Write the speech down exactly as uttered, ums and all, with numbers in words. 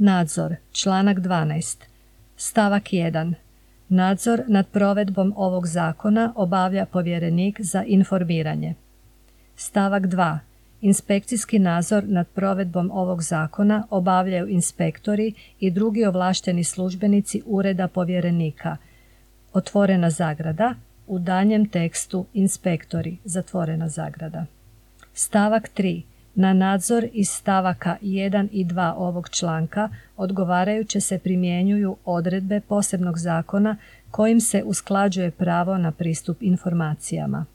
Nadzor, članak dvanaest. Stavak jedan. Nadzor nad provedbom ovog zakona obavlja povjerenik za informiranje. Stavak dva. Inspekcijski nadzor nad provedbom ovog zakona obavljaju inspektori i drugi ovlašteni službenici Ureda povjerenika. Otvorena zagrada, u daljnjem tekstu inspektori, zatvorena zagrada. Stavak tri. Na nadzor iz stavaka jedan i dva ovog članka odgovarajuće se primjenjuju odredbe posebnog zakona kojim se usklađuje pravo na pristup informacijama.